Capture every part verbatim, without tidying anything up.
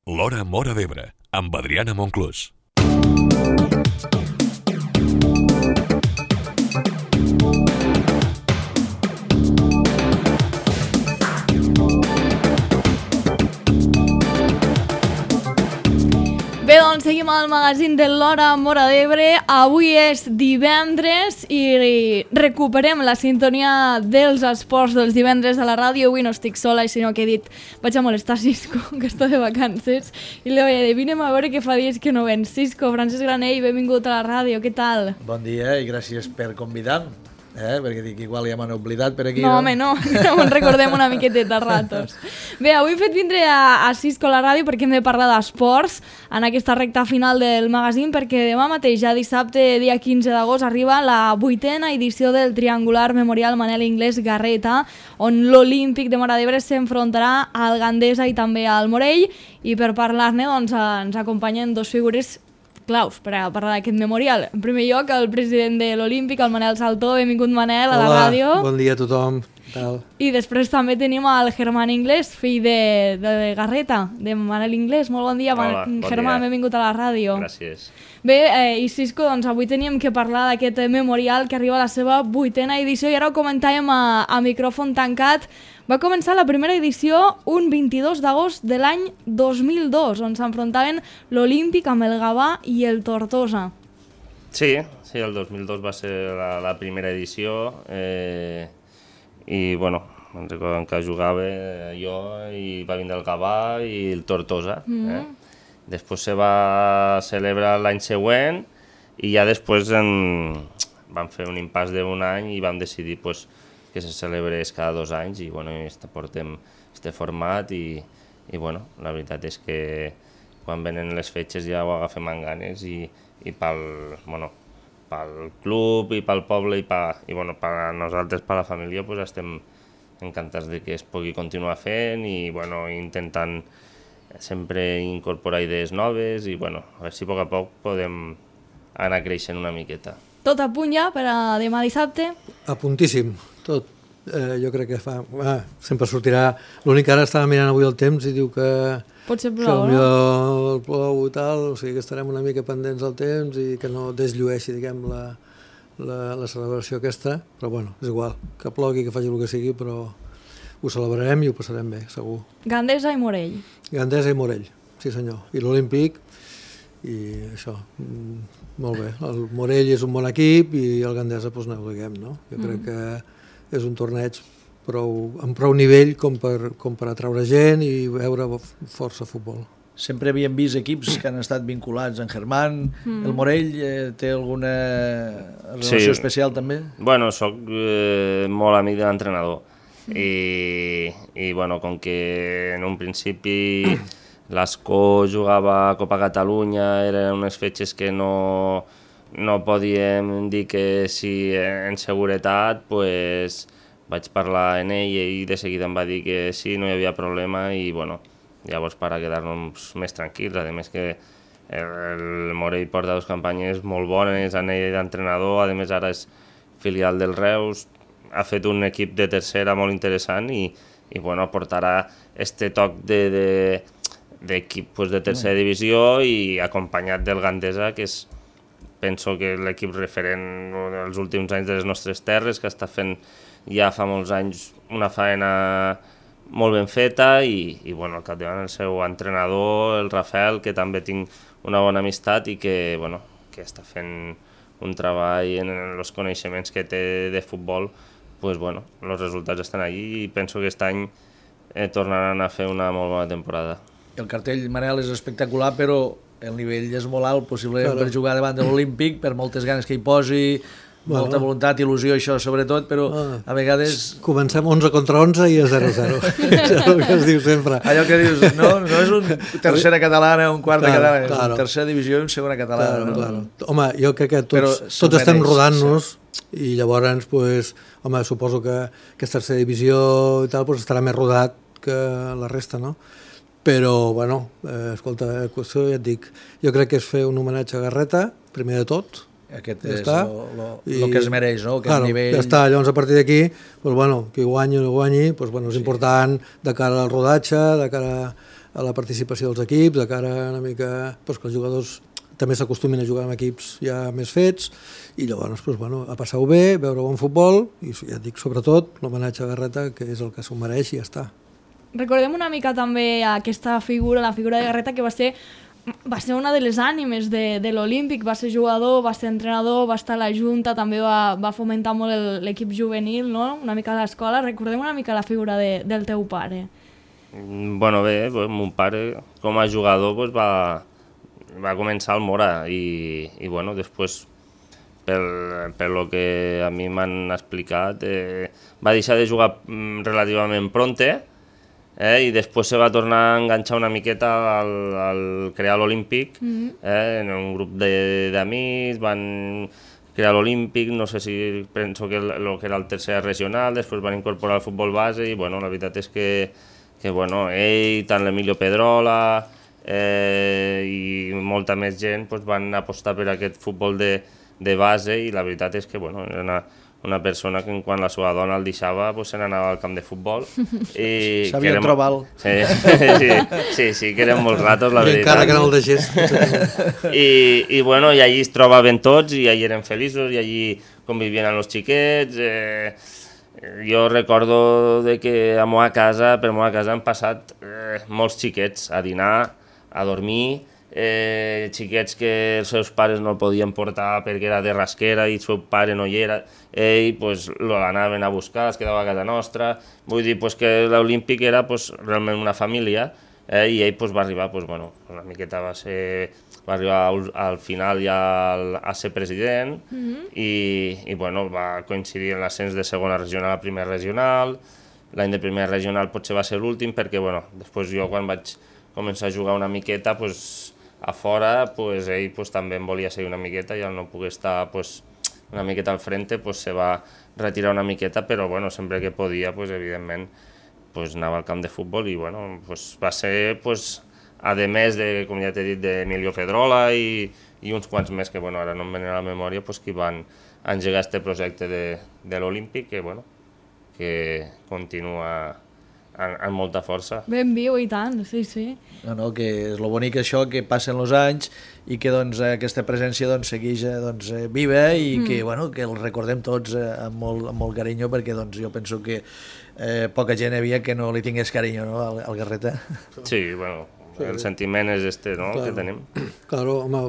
L'Hora Móra d'Ebre, amb Adriana Monclús. Bé, doncs seguim al magazín de l'Hora Móra d'Ebre. Avui és divendres i recuperem la sintonia dels esports dels divendres a la ràdio. Avui no estic sola, sinó que he dit vaig a molestar Cisco, que està de vacances, i li vaig dir, vinem a veure què fa dies que no ven. Cisco, Francesc Granell, benvingut a la ràdio, què tal? Bon dia i gràcies per convidar-me. Eh? Perquè dic, igual ja m'han oblidat per aquí. No, home, no, no ens recordem una miqueteta ratos. Bé, avui hem fet vindre a, a Cisco a la ràdio perquè hem de parlar d'esports en aquesta recta final del magazín, perquè demà mateix, ja dissabte, dia quinze d'agost, arriba la vuitena edició del Triangular Memorial Manel Inglés Garreta, on l'Olímpic de Móra d'Ebre s'enfrontarà al Gandesa i també al Morell, i per parlar-ne doncs, ens acompanyen dos figures claus per a parlar d'aquest memorial. En primer lloc, el president de l'Olímpic, el Manel Saltó. Benvingut, Manel, a la Hola, ràdio. Bon dia a tothom. Tal. I després també tenim el Germán Inglés, fill de, de Garreta, de Manel Inglés. Molt bon dia, Hola, bon Germán, dia. benvingut a la ràdio. Gràcies. Bé, eh, i Cisco, doncs avui teníem que parlar d'aquest memorial que arriba a la seva vuitena edició, i ara ho comentàvem a, a micròfon tancat. Va començar la primera edició un vint-i-dos d'agost de l'any dos mil dos, on s'enfrontaven l'Olímpic amb el Gavà i el Tortosa. Sí, sí, el dos mil dos va ser la, la primera edició, eh, i bueno, me'n recordo que jugava jo i va vindre el Gavà i el Tortosa. Mm-hmm. eh? Després se va celebrar l'any següent i ja després en... vam fer un impàs d'un any i vam decidir pues, que se celebrés cada dos anys i bueno, portem este format i, i bueno, la veritat és que quan venen les fetges ja ho agafem amb ganes i, i pel, bueno, pel club i pel poble i, pa, i bueno, per nosaltres, per la família, pues, estem encantats de que es pugui continuar fent i bueno, intentant sempre incorporar idees noves i bueno, a veure si a poc a poc podem anar creixent una miqueta. Tot a punt ja per a demà dissabte? A puntíssim, tot. Eh, jo crec que fa... Ah, sempre sortirà... L'únic que ara estava mirant avui el temps i diu que... Potser que plou, no? el plou i tal, o sigui que estarem una mica pendents del temps i que no desllueixi, diguem, la, la, la celebració aquesta, però bueno, és igual, que plogui, que faci el que sigui, però ho celebrarem i ho passarem bé, segur. Gandesa i Morell. Gandesa i Morell, sí senyor, i l'Olímpic, i això, mm, molt bé. El Morell és un bon equip i el Gandesa, doncs no ho diguem, no? Jo crec mm. que és un torneig prou, amb prou nivell com per, com per atraure gent i veure força futbol. Sempre havíem vist equips que han estat vinculats en Germán. Mm. El Morell eh, té alguna relació sí. especial també? Bueno, soc eh, molt amic de l'entrenador mm. i, i bueno, com que en un principi l'Escó jugava a Copa Catalunya, eren unes fetges que no, no podíem dir que sí en seguretat, pues, vaig parlar amb ell i de seguida em va dir que sí, no hi havia problema i bueno, llavors per a quedar-nos més tranquils. A més que el Morell porta dues campanyes molt bones, en ell d'entrenador, a més ara és filial del Reus, ha fet un equip de tercera molt interessant i, i bueno, portarà este toc de, de, d'equip pues, de tercera divisió i acompanyat del Gandesa, que és, penso que l'equip referent dels últims anys de les nostres terres, que està fent ja fa molts anys una faena molt ben feta i, i bueno, al capdavant el seu entrenador, el Rafael, que també tinc una bona amistat i que, bueno, que està fent un treball en els coneixements que té de futbol, pues, bueno, els resultats estan allí i penso que aquest any eh, tornaran a fer una molt bona temporada. El cartell, Manel, és espectacular, però el nivell és molt alt, possiblement claro. Per jugar davant de l'Olímpic, per moltes ganes que hi posi, bueno. Molta voluntat, il·lusió, això sobretot, però ah. a vegades... Comencem onze contra onze i és zero zero. És el que es diu sempre. Allò que dius, no, no és un tercera catalana, un quart claro, de catalana, és claro. una tercera divisió i una segona catalana. Claro, no? claro. Home, jo crec que tots, tots estem rodant-nos sí. I llavors, pues, home, suposo que aquesta tercera divisió i tal pues, estarà més rodat que la resta, no? Però, bueno, eh, escolta, la qüestió ja et dic, jo crec que és fer un homenatge a Garreta, primer de tot. Aquest ja és el que es mereix, no? Aquest claro, nivell... ja està, llavors a partir d'aquí, pues, bueno, qui guanyi o no guanyi, pues, bueno, és sí. important de cara al rodatge, de cara a la participació dels equips, de cara una mica pues, que els jugadors també s'acostumin a jugar amb equips ja més fets, i llavors pues, bueno, a passar-ho bé, veure bon futbol, i ja et dic sobretot l'homenatge a Garreta, que és el que s'ho mereix i ja està. Recordem una mica també aquesta figura, la figura de Garreta, que va ser, va ser una de les ànimes de, de l'Olímpic, va ser jugador, va ser entrenador, va estar a la Junta, també va, va fomentar molt l'equip juvenil, no? Una mica a l'escola. Recordem una mica la figura de, del teu pare. Bueno, bé, pues, mon pare com a jugador pues, va, va començar al Mora i, i bueno, després pel, per lo que a mi m'han explicat eh, va deixar de jugar relativament pronte, eh, i després se va tornar a enganxar una miqueta al, al crear l'Olímpic, mm-hmm. eh, en un grup d'amics, van crear l'Olímpic, no sé si penso que el, lo que era el tercer regional, després van incorporar el futbol base i bueno, la veritat és que, que bueno, ell, tant l'Emilio Pedrola eh, i molta més gent pues, van apostar per aquest futbol de, de base i la veritat és que bueno, era una, una persona que quan la seva dona el deixava pues, se n'anava al camp de futbol. Sabia trobar-lo. Sí, sí, sí, sí, que eren molts ratos, la I veritat. encara que no el deixés. I, i, bueno, i allí es trobaven tots i allí eren feliços i allí convivien amb els xiquets. Eh, jo recordo de que a meva casa, per meva casa han passat eh, molts xiquets a dinar, a dormir, eh, xiquets que els seus pares no el podien portar perquè era de Rasquera i el seu pare no hi era, ell pues, l'anaven a buscar, es quedava a casa nostra, vull dir pues, que l'Olímpic era pues, realment una família, eh, i ell pues, va arribar, pues, bueno, una miqueta va ser, va arribar al, al final ja al, a ser president, mm-hmm. i, i bueno, va coincidir en l'ascens de segona regional a primera regional, l'any de primera regional potser va ser l'últim perquè bueno, després jo quan vaig començar a jugar una miqueta pues, a fora, pues, ell pues, també em volia seguir una miqueta i al no poder estar pues, una miqueta al frente pues, se va retirar una miqueta, però bueno, sempre que podia, pues, evidentment, pues, anava al camp de futbol i bueno, pues, va ser, pues, a més de, com ja t'he dit, d'Emilio Pedrola i, i uns quants més que bueno, ara no em venen a la memòria, pues, que van engegar este projecte de, de l'Olímpic que, bueno, que continua amb, amb molta força. Ben viu i tant, sí, sí. No, no, que és lo bonic això, que passen els anys i que doncs, aquesta presència doncs, segueix doncs, viva i mm. que, bueno, que el recordem tots eh, amb, molt, amb molt carinyo perquè doncs, jo penso que eh, poca gent havia que no li tingués carinyo, no, al, al Garreta. Sí, bueno, el sentiment és este, no?, claro, que tenim. Claro, home,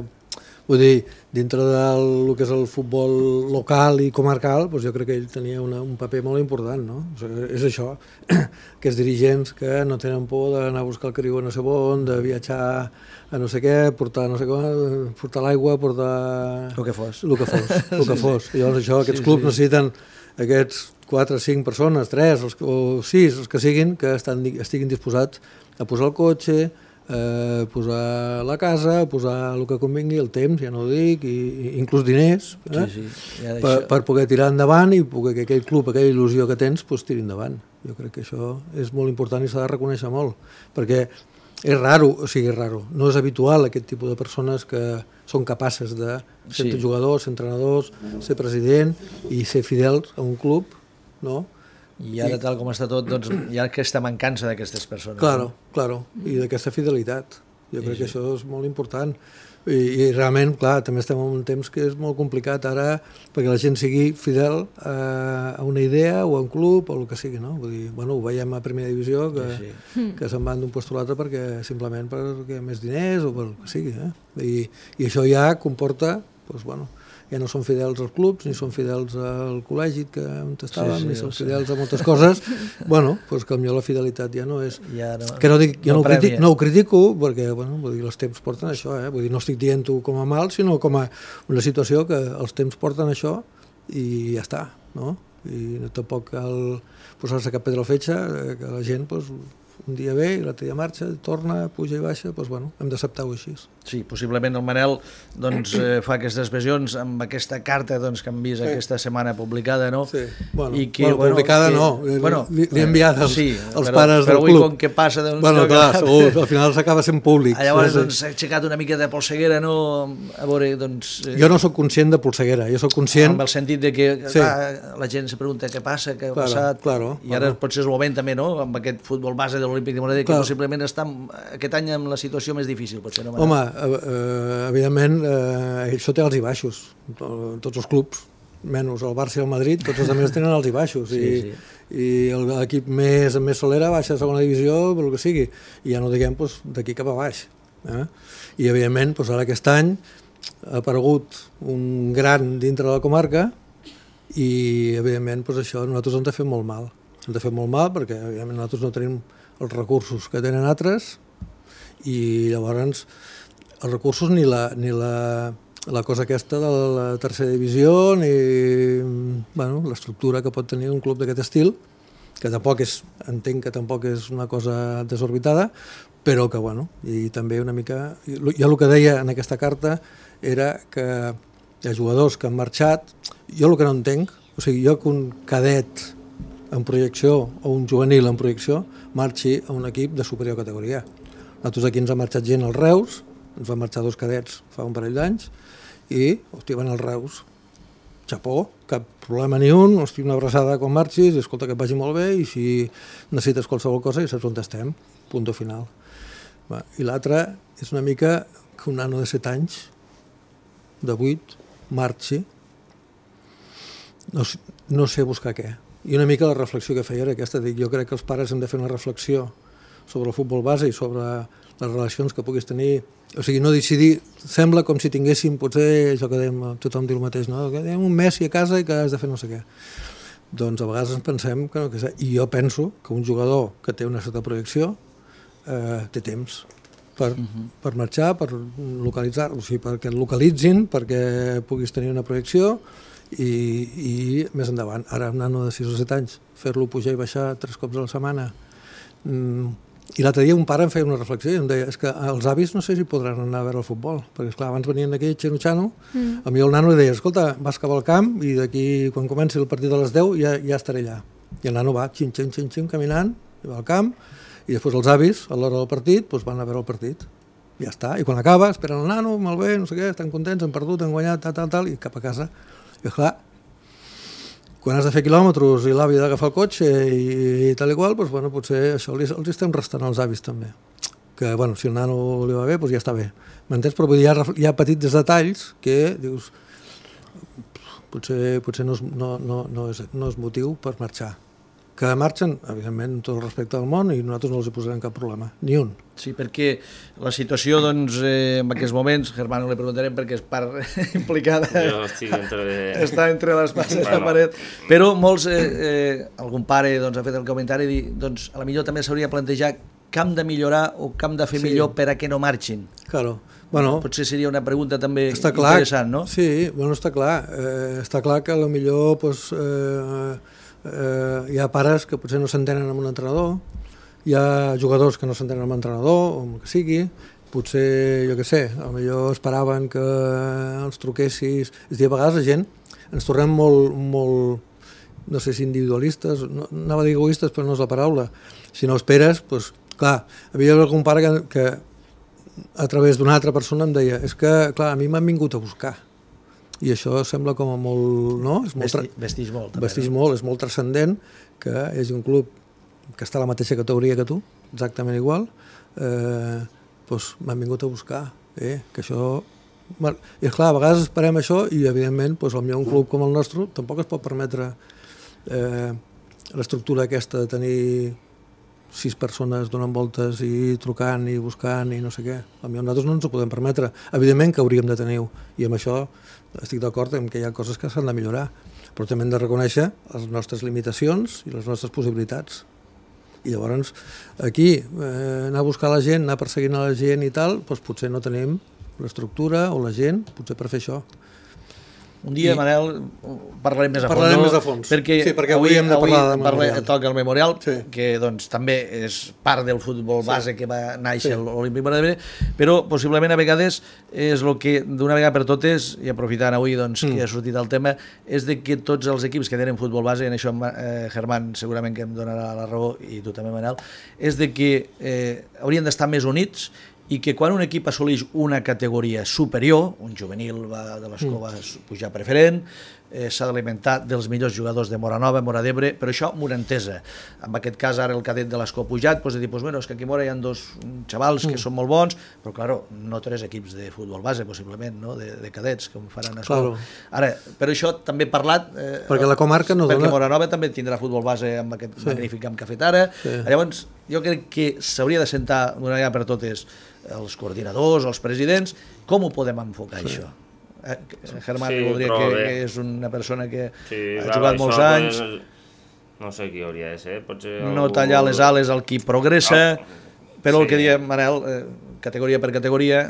vull dir, dintre del que és el futbol local i comarcal, doncs jo crec que ell tenia una, un paper molt important, no? O sigui, és això, que els dirigents que no tenen por d'anar a buscar el cariu a no sé on, de viatjar a no sé què, portar no sé com, portar l'aigua, portar... El que fos. El que fos, el que fos. I llavors això, aquests sí, clubs sí. necessiten aquests quatre o cinc persones, tres o sis, els que siguin, que estan, estiguin disposats a posar el cotxe, Eh, posar la casa, posar el que convingui, el temps, ja no ho dic, i, i inclús diners, eh? sí, sí. Ja per, per poder tirar endavant i poder que aquell club, aquella il·lusió que tens, pues, tiri endavant. Jo crec que això és molt important i s'ha de reconèixer molt, perquè és raro, o sigui, és raro, no és habitual aquest tipus de persones que són capaces de ser sí. jugadors, ser entrenadors, ser president i ser fidels a un club, no? I ara, tal com està tot, doncs, hi ha aquesta mancança d'aquestes persones. Claro, no? claro, i d'aquesta fidelitat. Jo sí, crec sí. que això és molt important. I, I realment, clar, també estem en un temps que és molt complicat ara perquè la gent sigui fidel a, a una idea o a un club o el que sigui, no? Vull dir, bueno, ho veiem a primera divisió que, sí, sí. que se'n van d'un lloc a l'altre perquè simplement perquè més diners o pel que sigui, eh? I, i això ja comporta, doncs, bueno, ja no són fidels als clubs, ni són fidels al col·legi que on estàvem, sí, sí, ni són fidels a moltes coses. Bueno, doncs que potser la fidelitat ja no és... Ja no, que no, dic, jo no, no, ho critico, no ho critico, perquè bueno, vull dir, els temps porten això, eh? Vull dir, no estic dient-ho com a mal, sinó com a una situació que els temps porten això i ja està, no? I tampoc cal posar-se cap pedra al fetge, que la gent, doncs, un dia ve i l'altre dia marxa, torna, puja i baixa, doncs bueno, hem d'acceptar-ho així. Sí, possiblement el Manel doncs, eh, fa aquestes visions amb aquesta carta doncs, que hem vist sí. aquesta setmana publicada, no? Sí, bueno, I que, bueno, bueno publicada que, no, bueno, li, li he enviat als, sí, als però, pares però del club. Però avui com que passa... Doncs, bueno, clar, segur, al final s'acaba sent públic. Llavors doncs, s'ha aixecat una mica de polseguera, no? A veure, doncs... Eh, jo no sóc conscient de polseguera, jo sóc conscient... Amb el sentit de que sí. clar, la gent se pregunta què passa, què ha claro, passat, claro, i ara claro. potser és el moment també, no? Amb aquest futbol base de l'Olímpic de Montreal, que possiblement està aquest any amb la situació més difícil, potser no? Home, eh, evidentment, eh, això té alts i baixos, tots els clubs, menys el Barça i el Madrid, tots els altres tenen alts i baixos, sí, i, sí. i l'equip més, més solera baixa a segona divisió, pel que sigui, i ja no diguem doncs, d'aquí cap a baix. Eh? I evidentment, doncs, ara aquest any ha aparegut un gran dintre de la comarca, i evidentment doncs, això a nosaltres ens ha fet molt mal. Ens ha fet molt mal perquè evidentment nosaltres no tenim els recursos que tenen altres i llavors els recursos ni la, ni la, la cosa aquesta de la tercera divisió ni bueno, l'estructura que pot tenir un club d'aquest estil, que tampoc és, entenc que tampoc és una cosa desorbitada, però que bueno, i també una mica... Jo el que deia en aquesta carta era que hi ha jugadors que han marxat. Jo el que no entenc, o sigui, jo que un cadet en projecció o un juvenil en projecció marxi a un equip de superior categoria. Nosaltres aquí ens ha marxat gent als Reus, ens van marxar dos cadets fa un parell d'anys i, hòstia, van als Reus. Xapó, cap problema ni un, hòstia, una abraçada quan marxis, i escolta, que et vagi molt bé i si necessites qualsevol cosa ja saps on estem, punt final. Va, i l'altre és una mica que un nano de set anys, de vuit, marxi, no, no sé buscar què. I una mica la reflexió que feia era aquesta, dic, jo crec que els pares hem de fer una reflexió sobre el futbol base i sobre les relacions que puguis tenir, o sigui, no decidir, sembla com si tinguéssim, potser, això que dèiem, tothom diu el mateix, no? Que dèiem un Messi a casa i que has de fer no sé què. Doncs a vegades ens pensem que no, que i jo penso que un jugador que té una certa projecció eh, té temps per, uh-huh. per marxar, per localitzar, o sigui, perquè et localitzin, perquè puguis tenir una projecció i, i més endavant. Ara un nano de sis o set anys, fer-lo pujar i baixar tres cops a la setmana. Mm, I l'altre dia un pare em feia una reflexió i em deia, és que els avis no sé si podran anar a veure el futbol, perquè esclar, abans venien aquí xeno-xano, mm. a mi el nano li deia, escolta, vas cap al camp i d'aquí, quan comenci el partit a les deu, ja, ja estaré allà. I el nano va, xin, xin, xin, xin, caminant, i va al camp, i després els avis, a l'hora del partit, doncs van a veure el partit. Ja està. I quan acaba, esperen el nano, molt bé, no sé què, estan contents, han perdut, han guanyat, tal, tal, tal, i cap a casa. I clar, quan has de fer quilòmetres i l'avi ha d'agafar el cotxe i, i tal i qual, doncs, bueno, potser això els, els estem restant als avis també. Que, bueno, si el nano li va bé, doncs ja està bé. M'entens? Però vull dir, hi ha, hi ha petits detalls que dius, potser, potser no, és, no, no, no, és, no és motiu per marxar. Que marxen, evidentment, amb tot el respecte del món i nosaltres no els hi posarem cap problema, ni un. Sí, perquè la situació, doncs, eh, en aquests moments, Germano li preguntarem perquè és part implicada. Jo estic entre... Està entre les passes bueno. de la paret. Però molts, eh, eh, algun pare doncs, ha fet el comentari i dir, doncs, a la millor també s'hauria de plantejar què hem de millorar o què hem de fer sí. millor per a que no marxin. Claro. Bueno, potser seria una pregunta també està clar, interessant, no? Sí, bueno, està clar. Eh, està clar que a la millor, doncs, eh, Uh, hi ha pares que potser no s'entenen amb un entrenador, hi ha jugadors que no s'entenen amb un entrenador, o el que sigui, potser, jo què sé, potser esperaven que els truquessis... És a dir, a vegades la gent ens tornem molt, molt no sé si individualistes, no, anava a dir egoistes, però no és la paraula. Si no esperes, doncs, clar, havia algun pare que, que a través d'una altra persona em deia, és que, clar, a mi m'han vingut a buscar. I això sembla com a molt... No? És molt Vesti, vestix molt. També, vestix no? molt, és molt transcendent que hi hagi un club que està a la mateixa categoria que tu, exactament igual, eh, doncs m'han vingut a buscar. Eh? Que això... I esclar, a vegades esperem això i, evidentment, doncs, potser un club com el nostre tampoc es pot permetre eh, l'estructura aquesta de tenir sis persones donant voltes i trucant i buscant i no sé què. A mi nosaltres no ens ho podem permetre. Evidentment que hauríem de tenir-ho i amb això estic d'acord en que hi ha coses que s'han de millorar, però també hem de reconèixer les nostres limitacions i les nostres possibilitats. I llavors aquí eh, anar a buscar la gent, anar perseguint a la gent i tal, doncs potser no tenim l'estructura o la gent, potser per fer això. Un dia, I... Manel, parlarem més a fons. Parlarem no? més a fons. Perquè, sí, perquè avui, avui hem de parlar de memorial. Toca el memorial, sí. que doncs, també és part del futbol base sí. que va néixer sí. l'Olímpic Montreal, però possiblement a vegades és el que d'una vegada per totes, i aprofitant avui doncs, mm. que ha sortit el tema, és de que tots els equips que tenen futbol base, i en això eh, Germán segurament que em donarà la raó, i tu també, Manel, és de que eh, haurien d'estar més units i que quan un equip assoleix una categoria superior, un juvenil va de l'escó va pujar preferent, eh, s'ha d'alimentar dels millors jugadors de Móra Nova, Móra d'Ebre, però això m'ho entesa. En aquest cas, ara el cadet de l'Escó ha pujat, doncs de dir, pues, bueno, és que aquí a Móra hi ha dos xavals que mm. són molt bons, però, claro, no tres equips de futbol base, possiblement, no? de, de cadets, com faran a Escó. Claro. Ara, per això també he parlat... Eh, perquè la comarca no perquè dona... Perquè Móra Nova també tindrà futbol base amb aquest sí. magnífic camp que ha fet ara. Sí. Llavors, jo crec que s'hauria de sentar d'una vegada per totes els coordinadors, els presidents, com ho podem enfocar, sí. això? Eh, Germán sí, voldria que, que és una persona que sí, ha jugat clar, molts anys. Pues, no sé qui hauria de ser. Potser no algú... tallar les ales al qui progressa, no. però sí. el que diem, Manel, eh, categoria per categoria,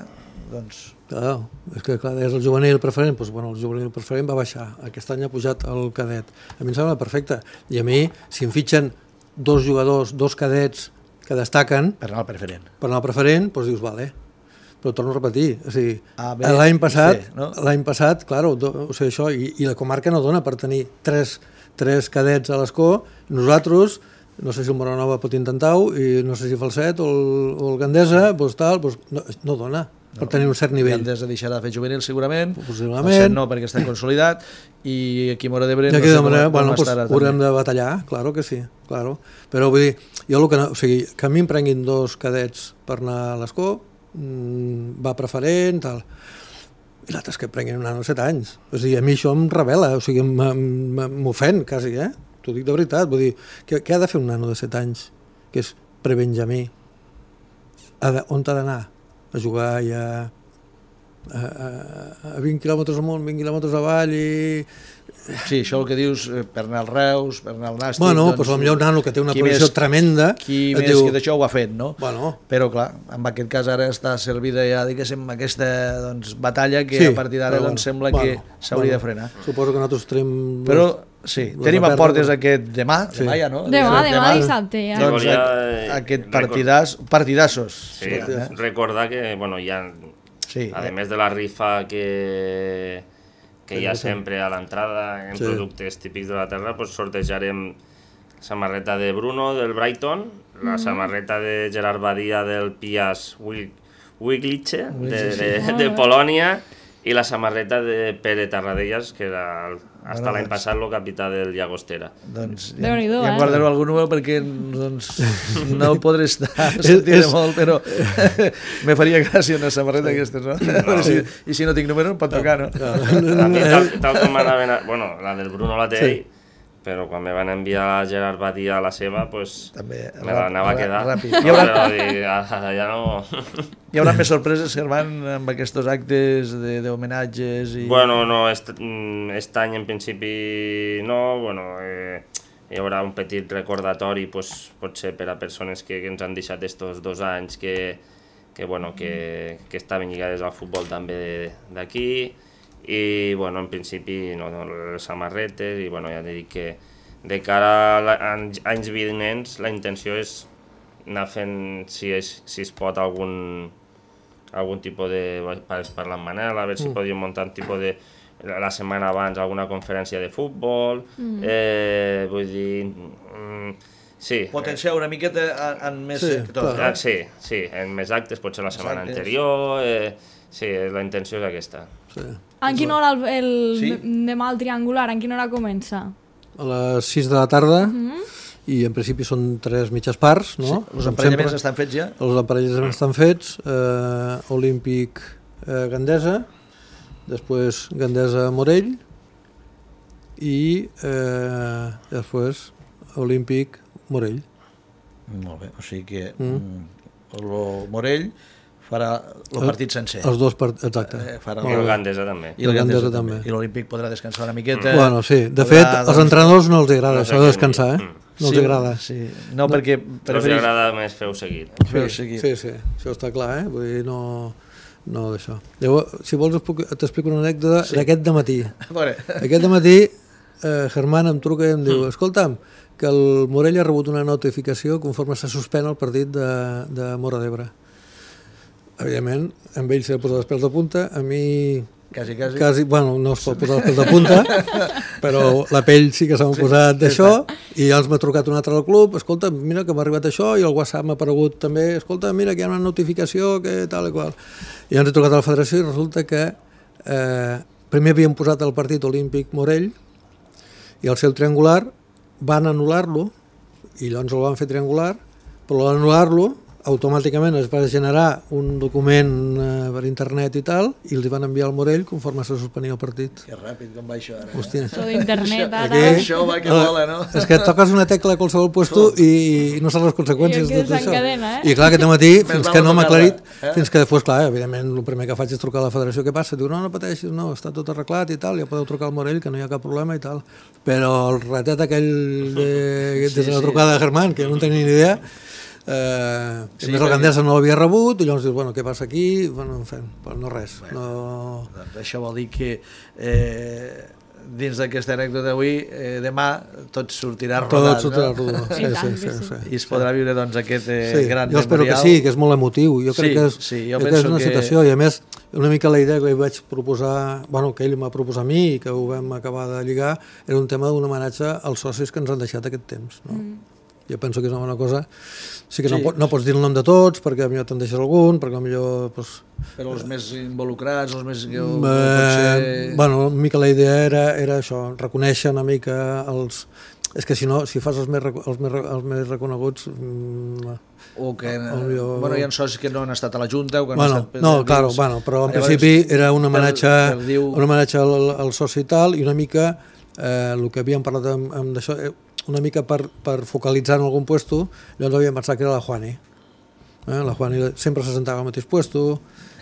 doncs... Clar, és que clar, és el juvenil preferent, doncs, bueno, el juvenil preferent va baixar, aquest any ha pujat el cadet. A mi em sembla perfecte, i a mi, si em fitxen dos jugadors, dos cadets que destaquen... Per anar al preferent. Per anar al preferent, doncs dius, vale. Però torno a repetir, o sigui, l'any passat, sí, no? l'any passat, clar, o sigui, això, i, i la comarca no dona per tenir tres, tres cadets a l'Escó, nosaltres, no sé si el Móra Nova pot intentar-ho, i no sé si Falset o el, o el Gandesa, doncs tal, doncs no, no dona per no, tenir un cert nivell. Gandesa deixarà de fer juvenil segurament, possiblement. Falset no, perquè està consolidat, i aquí a Móra d'Ebre no sé com, manera, com bueno, estarà. Pues, haurem de batallar, claro que sí, claro. Però vull dir, jo el que no, o sigui, que a mi em prenguin dos cadets per anar a l'Escó, va preferent, tal. I l'altre és que prenguin un nano de set anys. O sigui, a mi això em revela, o sigui, m'ofèn quasi, eh? T'ho dic de veritat. Vull dir, què, què ha de fer un nano de set anys, que és prebenjamí? On t'ha d'anar? A jugar i a, a, a vint quilòmetres amunt, vint quilòmetres avall i... Sí, això el que dius, per anar al Reus, per anar al Nàstic... Bueno, doncs, doncs potser un nano que té una provisió tremenda... Qui més diu... que d'això ho ha fet, no? Bueno. Però, clar, en aquest cas ara està servida ja, diguéssim, aquesta doncs, batalla que sí, a partir d'ara doncs, bueno, sembla bueno, que s'hauria bueno, de frenar. Suposo que nosaltres tenim... Però, sí, tenim a portes aquest demà, sí. demà ja, no? Demà, demà, demà dissabte, ja. Doncs ja, aquest partidàs, partidassos. Sí, eh? recordar que, bueno, hi ha... Sí, a més de la rifa que... que hi ha sempre a l'entrada en sí. productes típics de la terra, pues sortejarem samarreta de Bruno del Brighton, la mm. samarreta de Gerard Badia del Piast Gliwice de, de, de Polònia i la samarreta de Pere Tarradellas, que era el, hasta bueno, l'any passat el capità del Llagostera. Doncs ja, ja em guardaré algun número perquè doncs, no podré estar sentint és... molt, però me faria gràcia una samarreta d'aquestes, no? no. Si, I si no tinc número em pot tocar, no? no. A mi, tal, tal com m'anaven a... Bueno, la del Bruno la té ell, sí. però quan me van enviar a Gerard Badia a la seva, pues, també, me l'anava a quedar. Ràpid. No, haurà... però dir, ara ja no... Hi haurà més sorpreses, Germán, amb aquests actes d'homenatges? I... Bueno, no, est, est any en principi no, bueno, eh, hi haurà un petit recordatori, pues, potser per a persones que, que ens han deixat estos dos anys que, que, bueno, que, que estaven lligades al futbol també d'aquí, i bueno, en principi no, no, les samarretes, i bueno, ja dic que de cara a anys vinents la intenció és anar fent, si es, si es pot, algun, algun tipus de... Vaig parlar amb Manel, a veure si mm. podíem muntar un tipus de... La setmana abans alguna conferència de futbol, mm. eh, vull dir... Mm, sí. Potenciar una miqueta en més sí, sectors, no? Sí, sí, en més actes, potser la setmana actes. anterior... Eh, sí, la intenció és aquesta. Sí. En quina hora el, el sí? demà el triangular, en quina hora comença? A les sis de la tarda, mm-hmm. i en principi són tres mitges parts, no? Sí. Els emparellaments sempre. estan fets ja? Els emparellaments estan fets, eh, Olímpic eh, Gandesa, després Gandesa Morell, i eh, després Olímpic Morell. Molt bé, o sigui que mm. el Morell farà el partit sencer. Els dos partits, exacte. Eh, farà el... I el Gandesa també. I el Gandesa també. I l'Olímpic podrà descansar una miqueta. Bueno, sí. De podrà, fet, als doncs... entrenadors no els agrada no això de descansar, eh? No els sí, agrada. Sí. No, no, perquè... No els agrada més feu seguit. Feu seguit. Sí, sí, això està clar, eh? Vull dir, no... No d'això. Llavors, si vols t'explico una anècdota sí. d'aquest dematí. Aquest dematí, eh, Germán em truca i em diu, escolta'm, que el Morell ha rebut una notificació conforme se suspèn el partit de, de Móra d'Ebre. Evidentment, amb ell s'ha posat els pèls de punta, a mi... Quasi, quasi. quasi bueno, no es pot posar els pèls de punta, però la pell sí que s'ha sí, posat d'això, i ja els m'ha trucat un altre al club, escolta, mira que m'ha arribat això, i el WhatsApp m'ha aparegut també, escolta, mira que hi ha una notificació, que tal i qual. I ens he trucat a la federació i resulta que, eh, primer havien posat el partit olímpic Morell i al ser el triangular van anul·lar-lo i llavors el van fer triangular, però l'anul·lar-lo automàticament es va generar un document eh, per internet i tal, i els van enviar al Morell conforme se suspenia el partit. Que ràpid com va això ara. Hòstia. Això d'internet ara. Aquí, això va que vola, no? És que toques una tecla a qualsevol puesto i, i no saps les conseqüències I de tot això. s'encadena, eh? I clar, aquest matí, Més fins val que no no m'ha aclarit, tocar-la, eh? fins que després, clar, evidentment, el primer que faig és trucar a la federació, què passa? Diu, no, no pateixis, no, està tot arreglat i tal, ja podeu trucar al Morell, que no hi ha cap problema i tal. Però el ratet aquell de, Sí, de la sí. trucada de Germán, que no tenia ni idea, eh, Sí, sí, més el perquè- Gandesa no l'havia rebut, i llavors dius, bueno, què passa aquí? Bueno, en fi, però no res. No... Doncs això vol dir que eh, dins d'aquesta anècdota d'avui, eh, demà tot sortirà rodat, Tot sortirà no? rodó. Sí, I sí, tant sí, que sí. sí. I es podrà viure doncs, aquest eh, Sí, gran jo espero que memorial. sí, que és molt emotiu. Jo crec Sí, que és, sí, jo crec que és penso una que- situació, i a més, una mica la idea que li vaig proposar, bueno, que ell m'ha proposat a mi i que ho vam acabar de lligar, era un tema d'un homenatge als socis que ens han deixat aquest temps. No? Mm. Jo penso que és una bona cosa. Sí que Sí. no, pot, no pots dir el nom de tots, perquè potser te'n deixes algun, perquè potser... Pues, Però els més involucrats, els més... Que, eh, eh, bueno, una mica la idea era, era això, reconèixer una mica els... És que si no, si fas els més, reco- els més, re- els més reconeguts... Mm, o que Potser- bueno, hi ha socis que no han estat a la Junta o que bueno, han estat... no, claro, bueno, però en Llavors, principi era un homenatge, per- per diu- un homenatge al, al soci i tal, i una mica eh, el que havíem parlat amb, amb d'això, eh, una mica per, per focalitzar en algun puesto, llavors havíem pensat que era la Juani. Eh? La Juani sempre se sentava al mateix puesto,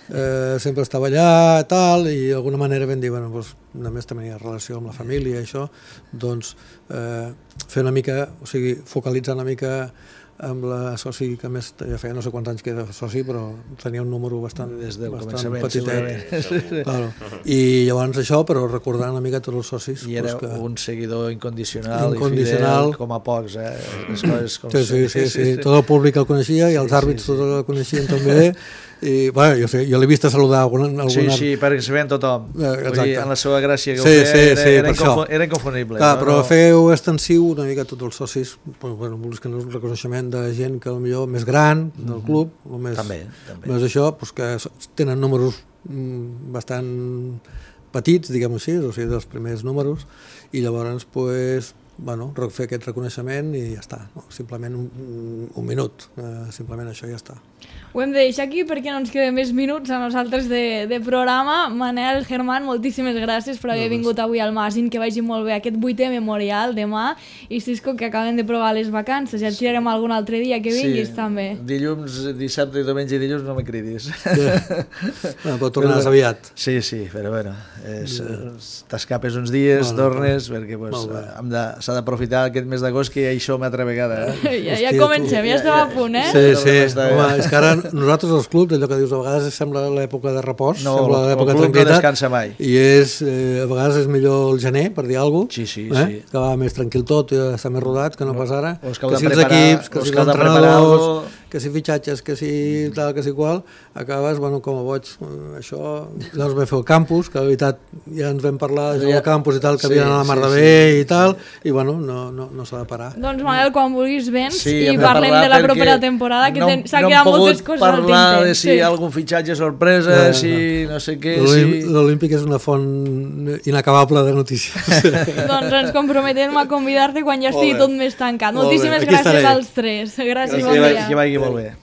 eh, sempre estava allà, tal, i d'alguna manera vam dir, bueno, doncs, només tenia relació amb la família i això, doncs eh, fer una mica, o sigui, focalitzar una mica amb la soci que més ja feia no sé quants anys que era soci, però tenia un número bastant, Des del bastant començament, petitet. segurament. Claro. I llavors això, però recordant una mica tots els socis. I era pues, que... un seguidor incondicional, Incondicional. i fidel com a pocs, eh? Les coses com Sí, sí, sí, són. sí, tot el públic el coneixia i els Sí, àrbits sí, sí. tots el coneixien també. I, bueno, jo sé, jo l'he vist a saludar algun, algun Sí, àrbit. sí, perquè se veien tothom. Eh, Vull exacte. dir, en la seva gràcia que Sí, ho feia, sí, era, sí, era, per inconfu això. era inconfonible. Clar, no? però no... feu extensiu una mica a tots els socis, bueno, bueno, que no és un reconeixement de gent que potser més gran del club, o més, També, també. més això, doncs que s- tenen números mm, bastant petits, diguem-ho així, o sigui, dels primers números, i llavors, pues, bueno, re- fer aquest reconeixement i ja està, no? Simplement un, un minut, eh, simplement això ja està. Ho hem de deixar aquí perquè no ens queden més minuts a nosaltres de, de programa. Manel, Germán, moltíssimes gràcies per haver vingut avui al magazín, que vagi molt bé aquest vuitè memorial demà, i Cisco, que acaben de provar les vacances, ja et tirarem algun altre dia que vinguis sí. també. Dilluns, dissabte, diumenge i dilluns no me cridis. Bueno, però tornaràs Però- aviat. Sí, sí, però bueno, és- t'escapes uns dies, Bueno, tornes, perquè pues, molt bé. hem de, s'ha d'aprofitar aquest mes d'agost, que això una altra vegada. Eh? Ja, ja Hòstia, comencem, tu. ja estem a punt, eh? Sí, sí, Està bé. home, és que ara nosaltres els clubs, allò que dius, a vegades sembla l'època de repòs, No, sembla el l'època de club no tranquil·litat, descansa mai. i és, eh, a vegades és millor el gener, per dir alguna cosa, Sí, sí, eh? sí. que va més tranquil tot, i està més rodat, que no pas ara, o és que heu que de si els preparar- equips, que o és si que heu els de preparar entrenadors, algo. que si fitxatges, que si tal, que si qual, acabes, bueno, com a boig, eh, això, llavors vam fer el campus, que de veritat ja ens vam parlar del Ja- campus i tal, que sí, havien anat a la mar sí, de sí. bé i tal, i bueno, no, no, no s'ha de parar. Doncs Manel, quan vulguis vens Sí, i hem de parlem parlar de la perquè propera temporada, que no- ten- s'ha no hem quedat pogut moltes coses al parlar tinter. de si hi ha algun fitxatge sorpresa, Bueno, si no sé què, L'Olí- si... L'Olímpic és una font inacabable de notícies. Doncs ens comprometem a convidar-te quan ja estigui Molt bé. tot més tancat. Molt bé, Moltíssimes aquí gràcies estaré. als tres. Gràcies, Que bon vagi, dia. que vagi molt bé.